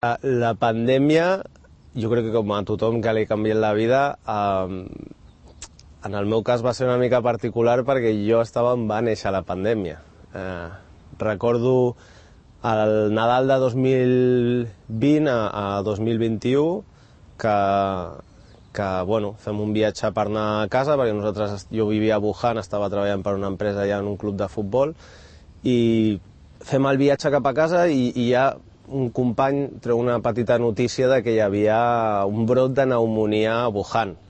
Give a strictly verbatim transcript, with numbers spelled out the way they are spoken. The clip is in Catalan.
La pandèmia, jo crec que com a tothom que li ha canviat la vida, eh, en el meu cas va ser una mica particular perquè jo estava on va néixer la pandèmia. Eh, recordo el Nadal de dos mil vint a, a dos mil vint-i-u que, que bueno, fem un viatge per anar a casa, perquè nosaltres, jo vivia a Wuhan, estava treballant per una empresa allà en un club de futbol, i fem el viatge cap a casa i, i ja un company treu una petita notícia de que hi havia un brot de pneumònia a Wuhan.